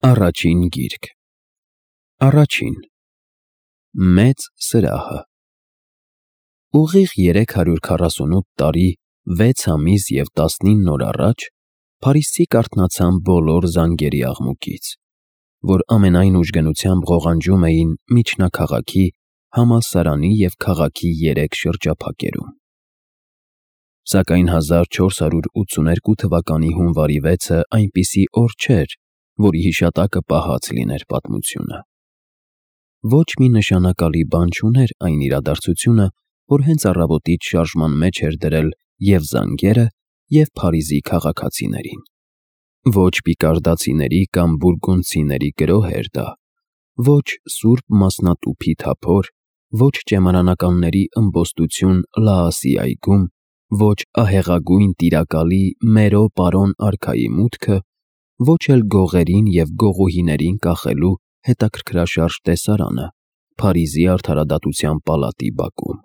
Առաջին գիրք։ Առաջին Մեծ սրահը։ Ուղիղ 348 տարի, 6 ամիս և 19 օր առաջ Փարիզցի կարթնացան բոլոր զանգերի աղմուկից, որ ամենայն ուժգնությամբ ղողանջում էին միջնաքաղաքի, համալսարանի և քաղաքի 3 շրջափակերում։ Սակայն 1482 թվականի հունվարի 6-ը այնպիսի օր չէր, որի հիշատակը պահած լիներ պատմությունը։ Ոչ մի նշանակալի բան չուներ այն իրադարձությունը, որ հենց առավոտից շարժման մեջ էր դրել և զանգերը, և Փարիզի քաղաքացիներին։ Ոչ պիկարդացիների կամ բուրգունդցիների գրոհ էր դա, ոչ սուրբ մասնատուփի թափոր, ոչ ճեմարանականների ըմբոստություն Լաասի այգում, ոչ ահեղագույն տիրակալի Մերո պարոն արքայի մուտքը, ոչ էլ գողերին և գողուհիներին կախելու հետաքրքրաշարժ տեսարանը Փարիզի արդարադատության պալատի բակում։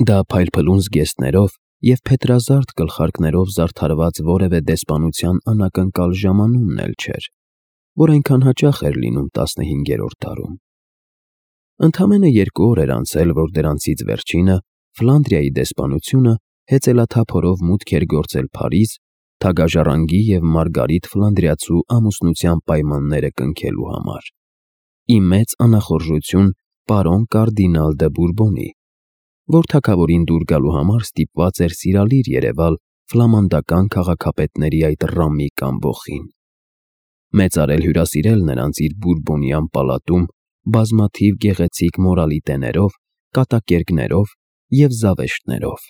Դա փայլփլուն զգեստներով և փետրազարդ գլխարկներով զարդարված որևէ դեսպանության անակնկալ ժամանումն էլ չէր, որ այնքան հաճախ էր լինում 15-րդ դարում։ Ընդամենը 2 օր էր անցել, որ դրանցից վերջինը, Ֆլանդրիայի դեսպանությունը, հեծելաթափորով մուտք էր գործել Փարիզ, թագաժառանգի և Մարգարիտ Ֆլանդրիացու ամուսնության պայմանները կնքելու համար, ի մեծ անախորժություն պարոն կարդինալ դը Բուրբոնի, որ թագավորին դուր գալու համար ստիպված էր սիրալիր երևալ ֆլամանդական քաղաքապետների այդ ռամիկ ամբոխին, մեծարել հյուրասիրել նրանց իր բուրբոնյան պալատում բազմաթիվ գեղեցիկ մորալիտեներով, կատակերգներով և զավեշտներով,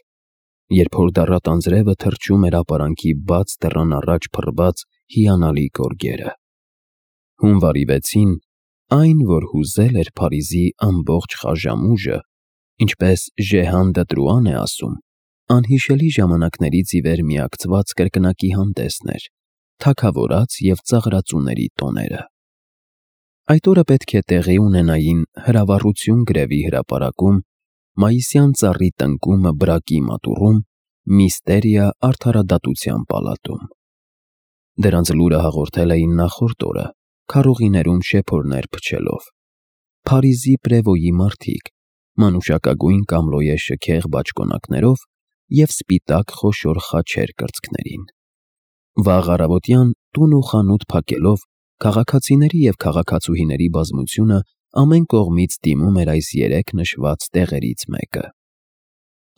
երբ հորդառատ անձրևը թրջում էր ապարանքի բաց դռան առաջ փռված հիանալի գորգերը։ Հունվարի 6-ին, այն, որ հուզել էր Փարիզի ամբողջ խաժամուժը, ինչպես Ժեհան դը Տրուան է ասում, անհիշելի ժամանակներից ի վեր միակցված կրկնակի հանդեսն էր, թագավորաց և ծաղրածուների տոները։ Այդ օրը պետք է տեղի ունենային հրավառություն գրևի հրապարակում, մայիսյան ծառի տնկումը բրակի մատուռում, միստերիա արդարադատության պալատում։ Դրանց լուրը հաղորդել էին նախորդ օրը, քարողիներում շեփորներ փչելով։ Փարիզի պրևոյի մարդիկ, մանուշակագույն կամլոյե շքեղ բաճկոնակներով և սպիտակ խոշոր խաչեր կրծքներին։ Վաղ առավոտյան տուն ու խանութ փակելով, քաղաքացիների և քաղաքացուհիների բազմությունը ամեն կողմից դիմում էր այս 3 նշված տեղերից մեկը։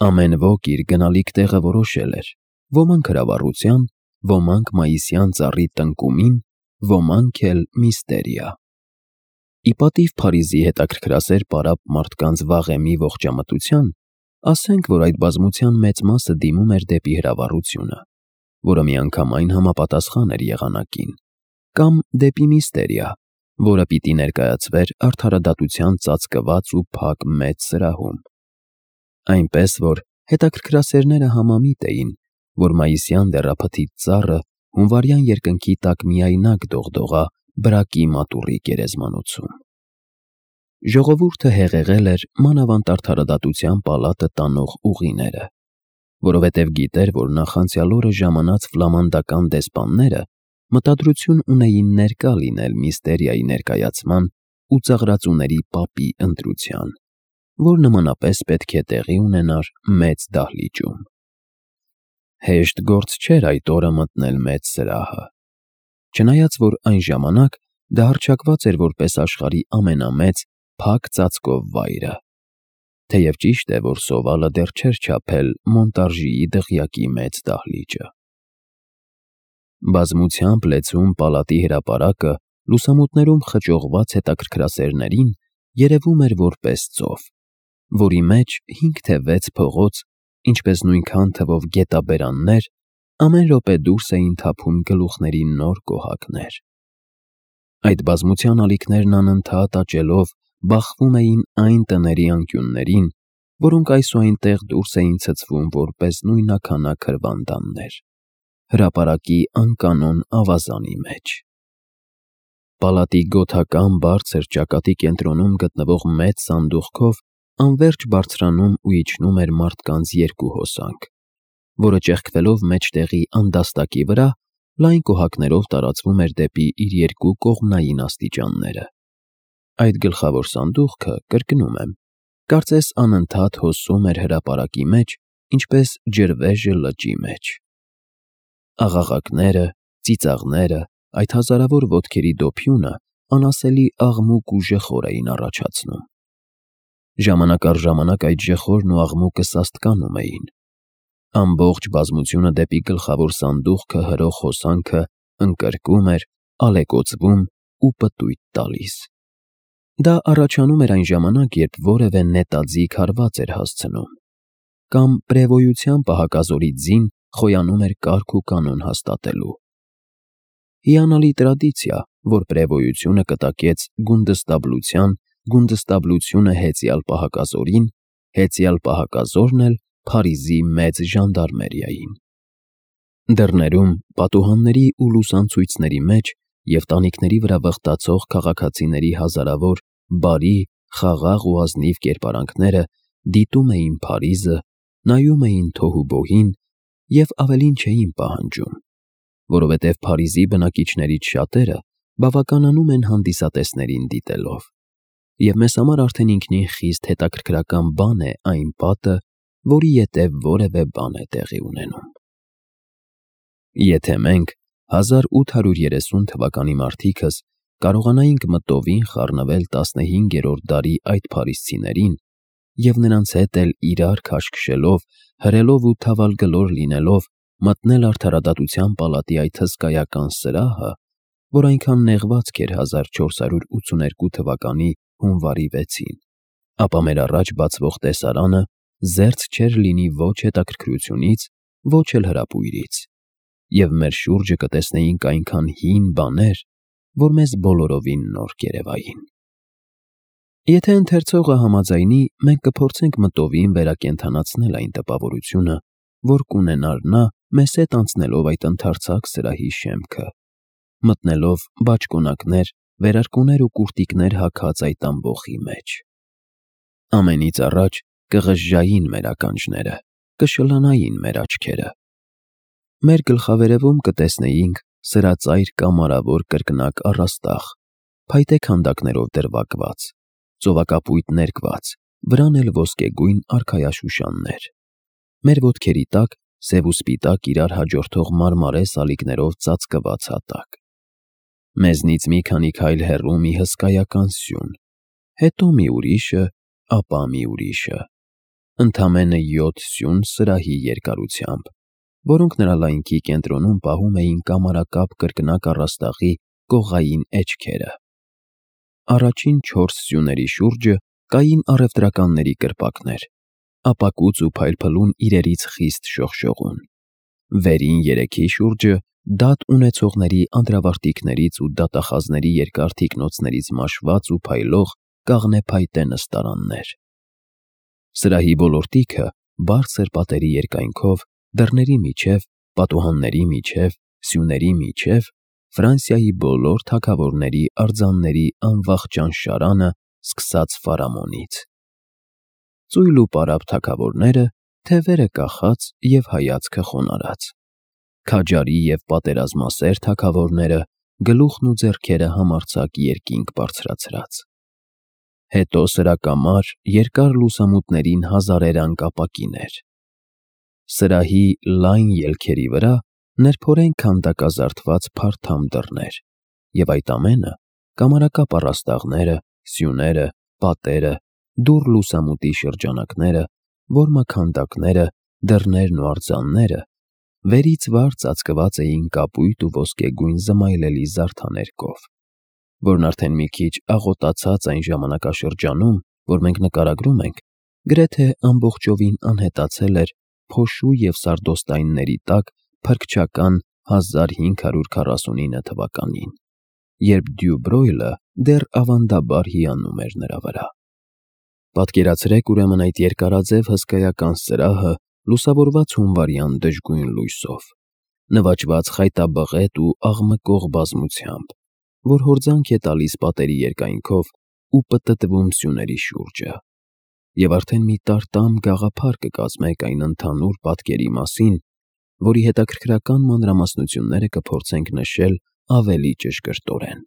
Ամեն ոք իր գնալիք տեղը որոշել էր, ոմանք հրավառության, ոմանք մայիսյան ծառի տնկումին, ոմանք էլ միստերիա։ Ի պատիվ Փարիզի հետաքրքրասեր պարապ մարդկանց վաղեմի ողջամտության, ասենք, որ այդ բազմության մեծ մասը դիմում էր դեպի հրավառությունը, որը միանգամայն համապատասխան էր եղանակին, կամ դեպի միստերիա, որը պիտի ներկայացվեր արդարադատության ծածկված ու փակ մեծ սրահում։ Այնպես որ հետաքրքրասերները համամիտ էին, որ մայիսյան դեռափթիտ ծառը հունվարյան երկնքի տակ միայնակ դողդողա բրակի մատուռի գերեզմանոցում։ Ժողովուրդը հեղեղել էր մանավանդ արդարադատության պալատը տանող ուղիները, որովհետև գիտեր, որ նախանցյալ օրը ժամանած ֆլամանդական դեսպանները մտադրություն ունեին ներկա լինել միստերիայի ներկայացման ու ծաղրածուների պապի ընտրության, որ նմանապես պետք է տեղի ունենար մեծ դահլիճում։ Հեշտ գործ չէր այդ օրը մտնել մեծ սրահը, չնայած որ այն ժամանակ դա հռչակված էր որպես աշխարհի ամենամեծ փակ ծածկով վայրը, թեև ճիշտ է, որ Սովալը դեռ չէր չափել Մոնտարժիի դղյակի մեծ դահլիճը։ Բազմությամբ լեցուն պալատի հրապարակը լուսամուտներում խճողված հետաքրքրասերներին երևում էր որպես ծով, որի մեջ 5 թե 6 փողոց, ինչպես նույնքան թվով գետաբերաններ, ամեն րոպե դուրս էին թափում գլուխների նոր կոհակներ։ Այդ բազմության ալիքներն անընդհատ աճելով բախվում էին այն տների անկյուններին, որոնք այսուհայնտեղ դուրս էին ցցվում որպես նույնաքանակ հրվանդաններ, հրապարակի անկանոն ավազանի մեջ։ Պալատի գոթական բարձր ճակատի կենտրոնում գտնվող մեծ սանդուղքով անվերջ բարձրանում ու իջնում էր մարդկանց 2 հոսանք, որը ճեղքվելով մեջտեղի անդաստակի վրա, լայն կոհակներով տարածվում էր դեպի իր երկու կողմնային աստիճանները։ Այդ գլխավոր սանդուղքը, կրկնում եմ, կարծես անընդհատ հոսում էր հրապարակի մեջ, ինչպես ջրվեժը լճի մեջ։ Աղաղակները, ծիծաղները, այդ հազարավոր ոտքերի դոփյունը անասելի աղմուկ ու ժխոր էին առաջացնում։ Ժամանակ առ ժամանակ այդ ժխորն ու աղմուկը սաստկանում էին։ Ամբողջ բազմությունը դեպի գլխավոր սանդուղքը հրող հոսանքը ընկրկում էր, ալեկոծվում ու պտույտ տալիս։ Դա առաջանում էր այն ժամանակ, երբ որևէ նետաձիգ հարված էր հասցնում, կամ պրևոյության պահակազորի ձին խոյանում էր կարգ ու կանոն հաստատելու։ Հիանալի տրադիցիա, որ պրևոյությունը կտակեց գունդստաբլությունը հեծյալ պահակազորին, հեծյալ պահակազորն էլ Փարիզի մեծ ժանդարմերիային։ Դռներում, պատուհանների ու լուսանցույցների մեջ և տանիքների վրա վխտացող քաղաքացիների հազարավոր բարի, խաղաղ ու ազնիվ կերպարանքները դիտում էին Փարիզը, նայում էին թոհուբոհին և ավելին չէին պահանջում, որովհետև Փարիզի բնակիչներից շատերը բավականանում են հանդիսատեսներին դիտելով, և մեզ համար արդեն ինքնին խիստ հետաքրքրական բան է այն պատը, որի ետև որևէ բան է տեղի ունենում։ Եթե մենք 1830 թվականի մարդիկս կարողանայինք մտովին խառնվել 15-րդ դարի այդ փարիզցիներին և նրանց հետ էլ իրար քաշքշելով, հրելով ու թավալգլոր լինելով մտնել արդարադատության պալատի այդ հսկայական սրահը, որ այնքան նեղվածք էր 1482 թվականի հունվարի 6-ին, ապա մեր առաջ բացվող տեսարանը զերծ չէր լինի ոչ հետաքրքրությունից, ոչ էլ հրապույրից, և մեր շուրջը կտեսնեինք այնքան հին բաներ, որ մեզ բոլորովին նոր կերևային։ Եթե ընթերցողը համաձայնի, մենք կփորձենք մտովին վերակենդանացնել այն տպավորությունը, որ կունենար նա մեզ հետ անցնելով այդ ընդարձակ սրահի շեմքը, մտնելով բաճկոնակներ, վերարկուներ ու կուրտիկներ հագած այդ ամբոխի մեջ։ Ամենից առաջ կղժժային մեր ականջները, կշլանային մեր աչքերը։ Մեր գլխավերևում կտեսնեինք սրածայր կամարավոր կրկնակ առաստաղ, փայտե քանդակներով դրվագված, ծովակապույտ ներկված, վրան էլ ոսկեգույն արքայաշուշաններ։ Մեր ոտքերի տակ սև ու սպիտակ իրար հաջորդող մարմարե սալիկներով ծածկված հատակ։ Մեզնից մի քանի քայլ հեռու մի հսկայական սյուն, հետո մի ուրիշը, ապա մի ուրիշը, ընդամենը 7 սյուն սրահի երկարությամբ, որոնք նրա լայնքի կենտրոնում պահում էին կամարակապ կրկնակ առաստաղի կողային էջքերը։ Առաջին 4 սյուների շուրջը կային առևտրականների կրպակներ, ապակուծ ու փայլփլուն իրերից խիստ շողշողուն։ Վերին 3-ի շուրջը դատ ունեցողների անդրավարտիքներից ու դատախազների երկար թիկնոցներից մաշված ու փայլող կաղնե նստարաններ։ Սրահի բոլորտիքը բարձր պատերի երկայնքով, դռների միջև, պատուհանների միջև, սյուների միջև Ֆրանսիայի բոլոր թագավորների արձանների անվախճան շարանը սկսած Ֆարամոնից։ Ծույլ ու պարապ թագավորները, թևերը կախած և հայացքը խոնարհած, քաջարի և պատերազմասեր թագավորները, գլուխն ու ձեռքերը համարձակ երկինք բարձրացրած։ Հետո սրակամար, երկար լուսամուտներին հազարերանգ ապակիներ։ Սրահի լայն ելքերի վրա նրբորեն քանդակազարդված փարթամ դռներ, և այդ ամենը կամարակապ առաստաղները, սյուները, պատերը, դուռ լուսամուտի շրջանակները, որմաքանդակները, դռներն ու արձանները վերից վար ծածկված էին կապույտ ու ոսկեգույն զմայլելի զարդաներկով, որն արդեն մի քիչ աղոտացած այն ժամանակաշրջանում, որ մենք նկարագրում ենք, գրեթե ամբողջովին անհետացել էր փոշու և սարդոստայնների տակ փրկչական 1549 թվականին, երբ Դյուբրոյլը դեռ ավանդաբար հիանում էր նրա վրա։ Պատկերացրեք ուրեմն այդ երկարաձև հսկայական սրահը լուսավորված հունվարյան դժգույն լույսով, նվաճված խայտաբղետ ու աղմկող բազմությամբ, որ հորձանք է տալիս պատերի երկայնքով ու պտտվում սյուների շուրջը, և արդեն մի տարտամ գաղափար կկազմեք այն ընդհանուր պատկերի մասին, որի հետաքրքրական մանրամասնությունները կփորձենք նշել ավելի ճշգրտորեն։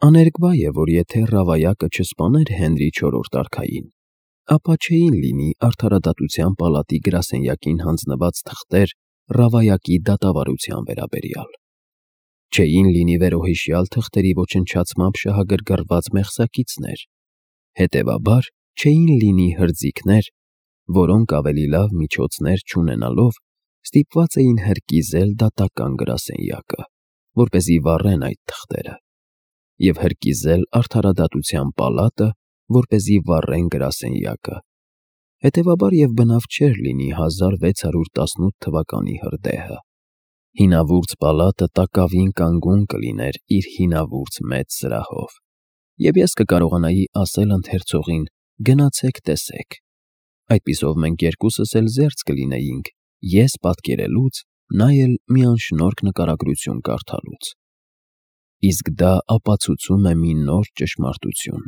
Աներկբա է, որ եթե Ռավայակը չսպաներ Հենրի IV արքային, ապա չէին լինի Արդարադատության պալատի գրասենյակին հանձնված թղթեր Ռավայակի դատավարության վերաբերյալ։ Չէին լինի վերոհիշյալ թղթերի ոչնչացմամբ շահագրգռված մեղսակիցներ, հետևաբար չէին լինի հրձիկներ, որոնք ավելի լավ միջոցներ չունենալով ստիպված էին հրկիզել դատական գրասենյակը, որպեսզի վառեն այդ թղթերը, և հրկիզել Արդարադատության պալատը, որպեսզի վառեն գրասենյակը, հետևաբար և բնավ չէր լինի 1618 թվականի հրդեհը։ Հինավուրց պալատը տակավին կանգուն կլիներ իր հինավուրց մեծ սրահով, և ես կկարողանայի ասել ընթերցողին. գնացեք տեսեք։ Այդպիսով մենք երկուսս էլ զերծ կլինեինք, ես պատկերելուց, նա էլ մի անշնորհք նկարագրություն կարդալուց։ Իսկ դա ապացուցում է մի նոր ճշմարտություն.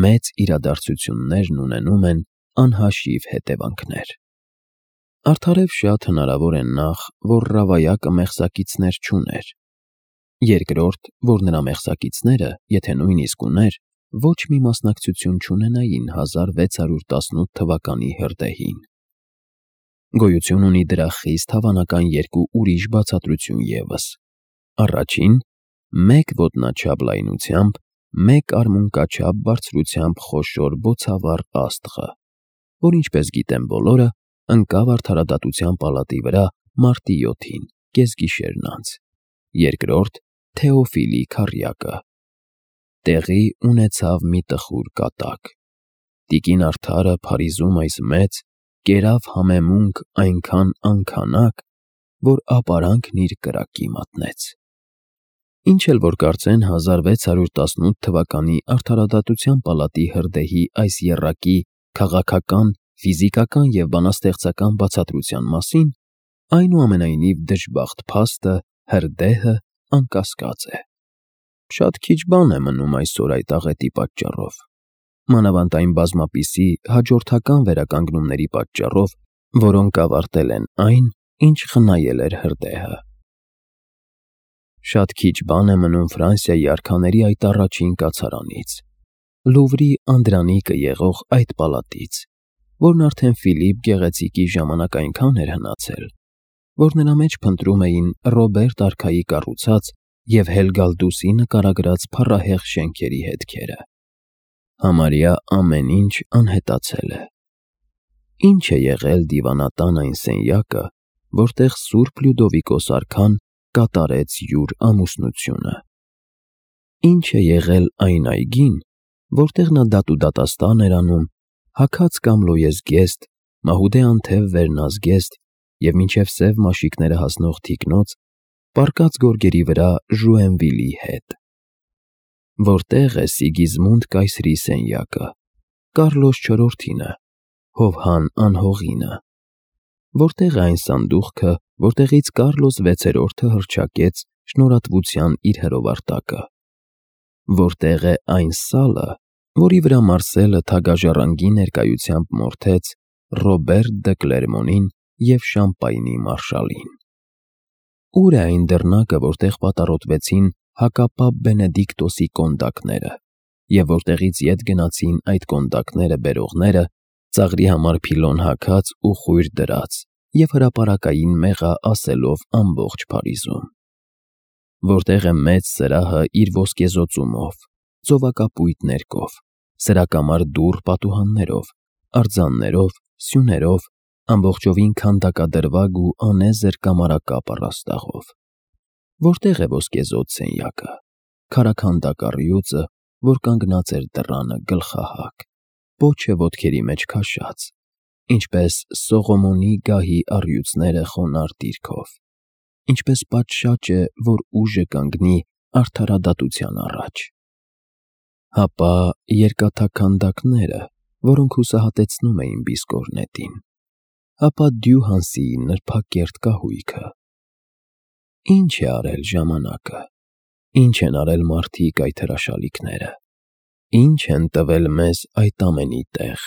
մեծ իրադարձություններն ունենում են անհաշիվ հետևանքներ։ Արդարև շատ հնարավոր է նախ, որ Ռավայակը մեղսակիցներ չուներ, երկրորդ, որ նրա մեղսակիցները, եթե նույնիսկ ուներ, ոչ մի մասնակցություն չունենային 1618 թվականի հրդեհին։ Գոյություն ունի դրա խիստ հավանական երկու ուրիշ բացատրություն ևս. առաջին, մեկ ոտնաչափ լայնությամբ, մեկ արմունկաչափ բարձրությամբ խոշոր բոցավառ աստղը, որ ինչպես գիտեն բոլորը, ընկավ Արդարադատության պալատի վրա մարտի 7-ին, կեսգիշերն անց, երկրորդ, Թեոֆիլի քառյակը։ Տեղի ունեցավ մի տխուր կատակ։ Տիկին Արդարը Փարիզում այս մեծ, կերավ համեմունք այնքան անքանակ, որ ապարանքն իր կրակի մատնեց։ Ինչ էլ որ կարծեն 1618 թվականի Արդարադատության պալատի հրդեհի այս եռակի քաղաքական, ֆիզիկական և բանաստեղծական բացատրության մասին, այնուամենայնիվ դժբախտ փաստը, հրդեհը անկասկած է։ Շատ քիչ բան է մնում այսօր այդ աղետի պատճառով, մանավանդ այն բազմապիսի հաջորդական վերականգնումների պատճառով, որոնք ավարտել են այն, ինչ խնայել էր հրդեհը։ Շատ քիչ բան է մնում Ֆրանսիայի արքաների այդ առաջին կացարանից, Լուվրի անդրանիկը եղող այդ պալատից, որն արդեն Ֆիլիպ Գեղեցիկի ժամանակ այնքան էր հնացել, որ նրա մեջ փնտրում էին Ռոբերտ արքայի կառուցած և Հելգալդուսի նկարագրած փառահեղ շենքերի հետքերը։ Համարյա ամեն ինչ անհետացել է։ Ինչ է եղել դիվանատան այն սենյակը, որտեղ Սուրբ Լյուդովիկոս արքան կատարեց յուր ամուսնությունը։ Ինչ է եղել այն այգին, որտեղ նա դատաստան էր անում, հագած կամ լոյեսգեստ, մահուդե անթև վերնազգեստ և մինչև սև մաշիկները հասնող թիկնոց, պառկած գորգերի վրա Ժուենվիլի հետ։ Որտեղ է Սիգիզմունդ կայսրի սենյակը, Կարլոս IV-ինը, Հովհան անհողինը։ Որտեղ է այն սանդուղքը, որտեղից Կարլոս VI-ը հռչակեց շնորհատվության իր հրովարտակը։ Որտեղ է այն սալը, որի վրա Մարսելը թագաժառանգի ներկայությամբ մորթեց Ռոբերտ դը Կլերմոնին և Շամպայնի մարշալին։ Ուր է այն դռնակը, որտեղ պատառոտվեցին հակապապ Բենեդիկտոսի կոնդակները, և որտեղից ետ գնացին այդ կոնդակները բերողները, ծաղրի համար փիլոն հագած ու խույր դրած և հրապարակային մեղա ասելով ամբողջ Փարիզում։ Որտեղ է մեծ սրահը իր ոսկեզօծումով, ծովակապույտ ներկով, սրակամար դուռ պատուհաններով, արձաններով, սյուներով, ամբողջովին քանդակադրվագ ու անեզր կամարակապ առաստաղով։ Որտեղ է ոսկեզօծ սենյակը, քարաքանդակ առյուծը, որ կանգնած էր դռանը գլխահակ, պոչը ոտքերի մեջ քաշած, ինչպես Սողոմոնի գահի առյուծները խոնարհ դիրքով, ինչպես պատշաճը, որ ուժը կանգնի արդարադատության առաջ։ Հապա երկաթաքանդակները, որոնք հուսահատեցնում էին Բիսկոռնետին, հապա Դյուհանսիի նրբակերտ կահույքը։ Ինչ է արել ժամանակը, ինչ են արել մարդիկ այդ հրաշալիքները, ինչ են տվել մեզ այդ ամենի տեղ,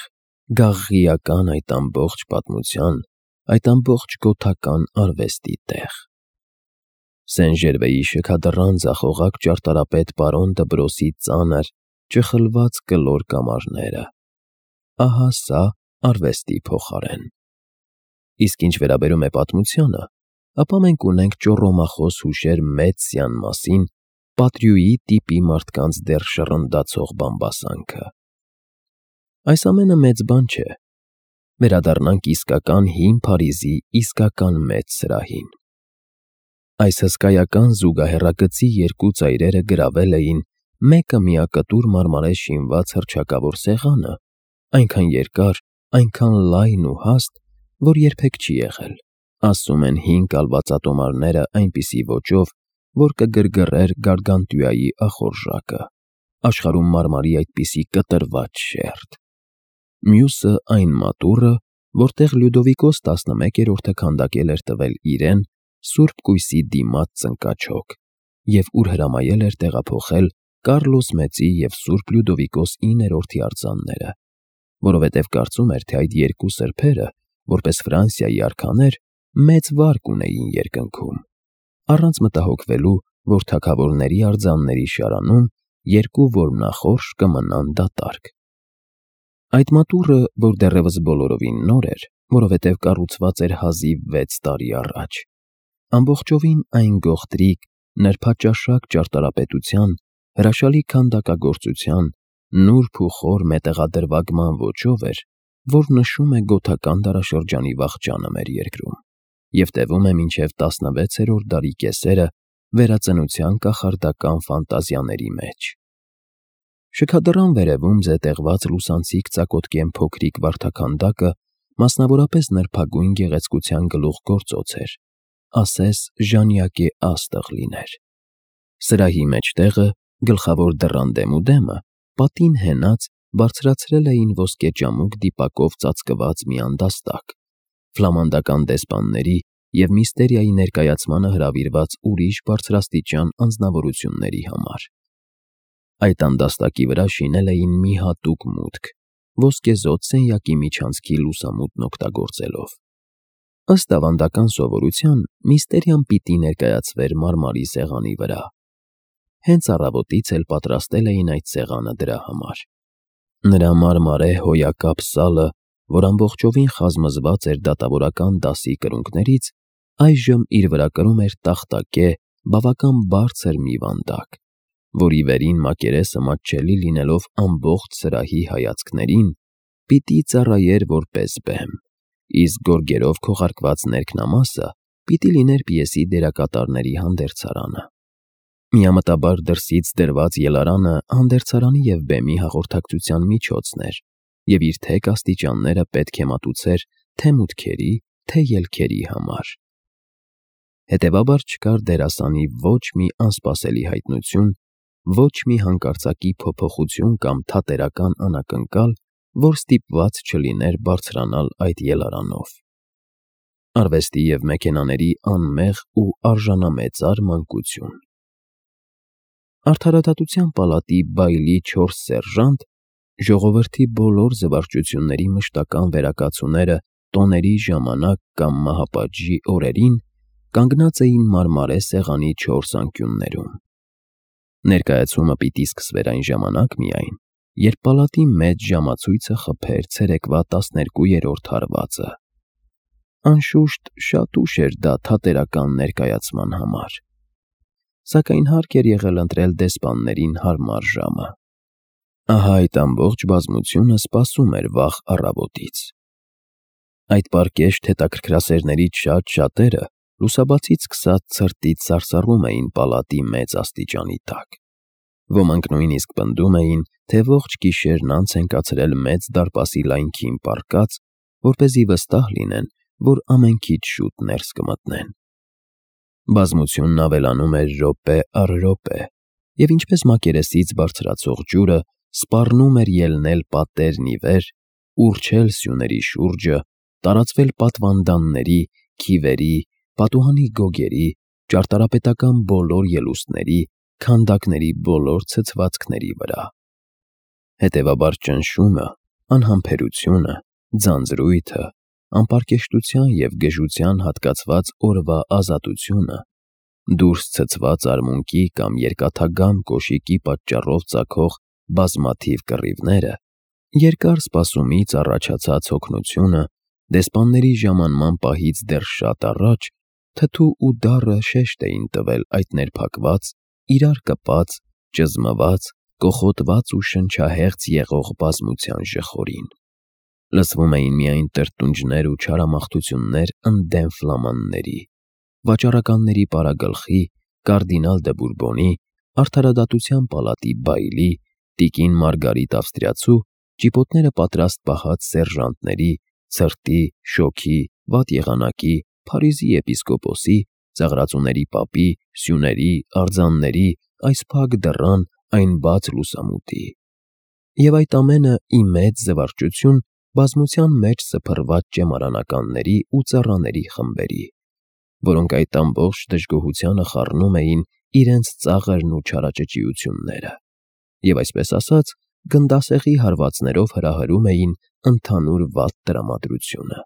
գաղղիական այդ ամբողջ պատմության, այդ ամբողջ գոթական արվեստի տեղ։ Սեն-Ժերվեի շքադռան ձախողակ ճարտարապետ պարոն Դբրոսի ծանր, ճխլված կլոր կամարները։ Ահա սա արվեստի փոխարեն։ Իսկ ինչ վերաբերում է պատմությանը, ապա մենք ունենք ճոռոմախոս հուշեր մեծ Սյան մասին, Պատրյուի տիպի մարդկանց դեռ շռնդացող բամբասանքը։ Այս ամենը մեծ բան չէ։ Վերադառնանք իսկական հին Փարիզի իսկական մեծ սրահին։ Այս հսկայական զուգահեռագծի երկու ծայրերը գրավել էին մեկը միակտուր մարմարե շինված հռչակավոր սեղանը, այնքան երկար, այնքան լայն ու հաստ, որ երբեք չի եղել, ասում են հին կալվածատոմարները այնպիսի ոճով, որ կգրգռեր Գարգանտյուայի ախորժակը, աշխարհում մարմարի այդպիսի կտրված շերտ։ Մյուսը այն մատուռը, որտեղ Լյուդովիկոս 11-րդը քանդակել էր տվել իրեն Սուրբ Կույսի դիմաց ծնկաչոք և ուր հրամայել էր տեղափոխել Կարլոս Մեծի և Սուրբ Լյուդովիկոս 9-րդի արձանները, որովհետև կարծում էր, թե այդ երկու սրբերը, որպես Ֆրանսիայի արքաներ, մեծ վարկ ունեին երկնքում, առանց մտահոգվելու, որ թագավորների արձանների շարանում երկու որմնախորշ կմնան դատարկ։ Այդ մատուռը, որ դեռևս բոլորովին նոր էր, որովհետև կառուցված էր հազիվ 6 տարի առաջ, ամբողջովին այն գողտրիկ, նրբաճաշակ ճարտարապետության, հրաշալի քանդակագործության, նուրբ ու խոր մետաղադրվագման ոճով էր, որ նշում է գոթական դարաշրջանի վախճանը մեր երկրում և տևում է մինչև 16-րդ դարի կեսերը վերածնության կախարդական ֆանտազիաների մեջ։ Շքադռան վերևում զետեղված լուսանցիկ ծակոտկեն փոքրիկ վարդաքանդակը մասնավորապես նրբագույն գեղեցկության գլուխգործոց էր, ասես ժանյակե աստղ լիներ։ Սրահի մեջտեղը, գլխավոր դռան դեմուդեմը, պատին հենած բարձրացրել էին ոսկեճամուկ դիպակով ծածկված մի անդաստակ, ֆլամանդական դեսպանների և միստերիայի ներկայացմանը հրավիրված ուրիշ բարձրաստիճան անձնավորությունների համար։ Այդ անդաստակի վրա շինել էին մի հատուկ մուտք, ոսկեզօծ սենյակի միջանցքի լուսամուտն օգտագործելով։ Ըստ ավանդական սովորության, միստերիան պիտի ներկայացվեր մարմարի սեղանի վրա։ Հենց առավոտից էլ պատրաստել էին այդ սեղանը դրա համար։ Նրա մարմարե հոյակապ սալը, որ ամբողջովին խազմզված էր դատավորական դասի կրունկներից, այժմ իր վրա կրում էր տախտակե, բավական բարձր մի վանդակ, որի վերին մակերեսը մատչելի լինելով ամբողջ սրահի հայացքներին, պիտի ծառայեր որպես բեմ, իսկ գորգերով քողարկված ներքնամասը պիտի լիներ պիեսի դերակատարների հանդերձարանը։ Միամտաբար դրսից դրված ելարանը հանդերձարանի և բեմի հաղորդակցության միջոցն էր և իր թեք աստիճանները պետք է մատուցեր թե մուտքերի, թե ելքերի համար։ Հետևաբար չկար դերասանի ոչ մի անսպասելի հայտնություն, ոչ մի հանկարծակի փոփոխություն կամ թատերական անակնկալ, որ ստիպված չլիներ բարձրանալ այդ ելարանով։ Արվեստի և մեքենաների անմեղ ու արժանամեծար մանկություն։ Արդարադատության պալատի բայլի 4 սերժանտ, ժողովրդի բոլոր զվարճությունների մշտական վերակացուները տոների ժամանակ կամ մահապատժի օրերին, կանգնած էին մարմարե սեղանի 4 անկյուններում։ Ներկայացումը պիտի սկսվեր այն ժամանակ միայն, երբ պալատի մեծ ժամացույցը խփեր ցերեկվա 12-րդ հարվածը։ Անշուշտ, շատ ուշ էր դա թատերական ներկայացման համար, սակայն հարկ էր եղել ընտրել դեսպաններին հարմար ժամը։ Ահա այդ ամբողջ բազմությունը սպասում էր վաղ առավոտից։ Այդ պարկեշտ հետաքրքրասերներից շատ-շատերը լուսաբացից սկսած ցրտից սարսռում էին պալատի մեծ աստիճանի տակ։ Ոմանք նույնիսկ պնդում էին, թե ողջ գիշերն անց են կացրել մեծ դարպասի լայնքին պառկած, որպեսզի վստահ լինեն, որ ամենքից շուտ ներս կմտնեն։ Բազմությունն ավելանում էր րոպե առ րոպե, և ինչպես մակերեսից բարձրացող ջուրը սպառնում էր ելնել պատերն ի վեր, ուռչել սյուների շուրջը, տարածվել պատվանդանների, քիվերի, պատուհանի գոգերի, ճարտարապետական բոլոր ելուստների, քանդակների բոլոր ցցվածքների վրա։ Հետևաբար ճնշումը, անհամբերությունը, ձանձրույթը, անպարկեշտության և գժության հատկացված օրվա ազատությունը, դուրս ցցված արմունկի կամ երկաթագամ կոշիկի պատճառով ծագող բազմաթիվ կռիվները, երկար սպասումից առաջացած հոգնությունը, դեսպանների ժամանման պահից դեռ շատ առաջ թթու ու դառը շեշտ էին տվել այդ ներփակված, իրար կպած, ճզմված, կոխոտված ու շնչահեղձ եղող բազմության ժխորին։ Լսվում էին միայն տրտունջներ ու չարամաղթություններ ընդդեմ ֆլամանների, վաճառականների պարագլխի, կարդինալ դը Բուրբոնի, արդարադատության պալատի բայլի, տիկին Մարգարիտ Ավստրիացու, ճիպոտները պատրաստ պահած սերժանտների, ցրտի, շոգի, վատ եղանակի, Փարիզի եպիսկոպոսի, ծաղրածուների պապի, սյուների, արձանների, այս փակ դռան, այն բաց լուսամուտի։ Եվ այդ ամենը ի մեծ զվարճություն բազմության մեջ սփռված ճեմարանականների ու ծառաների խմբերի, որոնք այդ ամբողջ դժգոհությանը խառնում էին իրենց ծաղրն ու չարաճճիությունները և, այսպես ասած, գնդասեղի հարվածներով հրահրում էին ընդհանուր վատ տրամադրությունը։